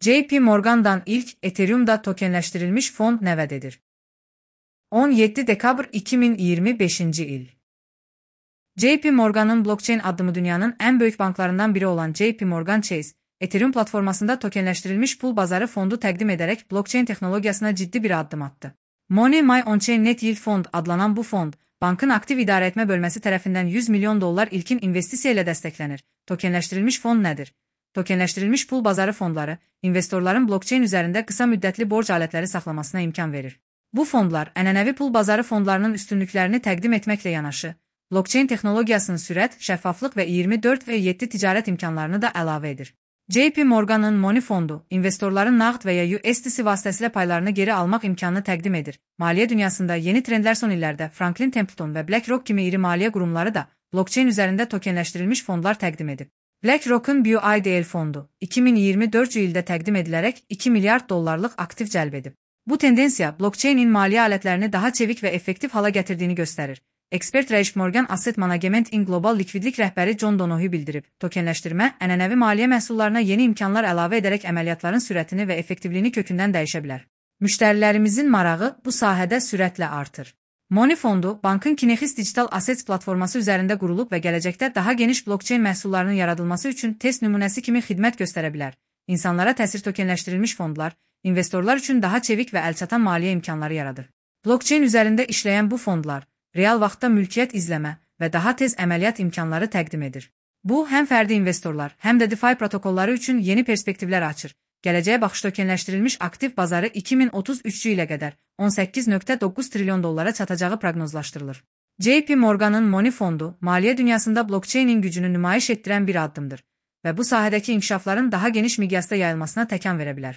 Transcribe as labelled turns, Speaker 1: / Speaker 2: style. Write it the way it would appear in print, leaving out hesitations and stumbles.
Speaker 1: JP Morgan'dan ilk Ethereum'da tokenleştirilmiş fond nerededir? 17 dekabr 2025 il. JP Morgan'ın blockchain adımı dünyanın en büyük banklarından biri olan JP Morgan Chase, Ethereum platformasında tokenleştirilmiş pul bazarı fondu təqdim ederek blockchain teknolojisine ciddi bir adım attı. Money My On-Chain Net Yield Fond adlanan bu fond, bankın aktif idare etme bölmesi tarafından 100 milyon dolar ilkin investisiya ile desteklenir. Tokenleştirilmiş fond nedir? Tokenleştirilmiş pul bazarı fondları, investorların blockchain üzerinde kısa müddetli borç aletleri saklamasına imkan verir. Bu fondlar, ənənəvi pul bazarı fondlarının üstünlüklerini təqdim etmekle yanaşı, blockchain teknolojisinin sürət, şəffaflıq və 24/7 ticaret imkanlarını da əlavə edir. JP Morgan'ın Money fondu, investorların nağd veya USDC vasıtasıyla paylarını geri almak imkanını təqdim edir. Maliyyə dünyasında yeni trendler son illərdə Franklin Templeton ve BlackRock kimi iri maliyyə qurumları da blockchain üzerinde tokenleştirilmiş fondlar təqdim edib. BlackRock'un BUIDL fondu, 2024 ildə təqdim edilərək 2 milyard dollarlıq aktif cəlb edib. Bu tendensiya, blockchain'in maliyyə alətlərini daha çevik ve effektiv hala gətirdiyini göstərir. Expert JP Morgan Asset Management'in global likvidlik rəhbəri John Donohue bildirib, tokenləşdirmə, ənənəvi maliyyə məhsullarına yeni imkanlar əlavə edərək əməliyyatların sürətini və effektivliyini kökündən dəyişə bilər. Müştərilərimizin marağı bu sahədə sürətlə artır. Money fondu, bankın Kinexis Digital Assets platforması üzərində qurulub və gələcəkdə daha geniş blockchain məhsullarının yaradılması üçün test nümunəsi kimi xidmət göstərə bilər. İnsanlara təsir tokenləşdirilmiş fondlar, investorlar üçün daha çevik və əlçatan maliyyə imkanları yaradır. Blockchain üzərində işləyən bu fondlar, real vaxtda mülkiyyət izləmə və daha tez əməliyyat imkanları təqdim edir. Bu, həm fərdi investorlar, həm də DeFi protokolları üçün yeni perspektivlər açır. Gələcəyə baxış tokenləşdirilmiş aktiv bazarı 2033 ilə qədər 18,9 trilyon dollara çatacağı proqnozlaşdırılır. JP Morgan'ın Money fondu, maliyyə dünyasında blockchain'in gücünü nümayiş etdirən bir addımdır və bu sahədəki inkişafların daha geniş miqyasda yayılmasına təkan verə bilər.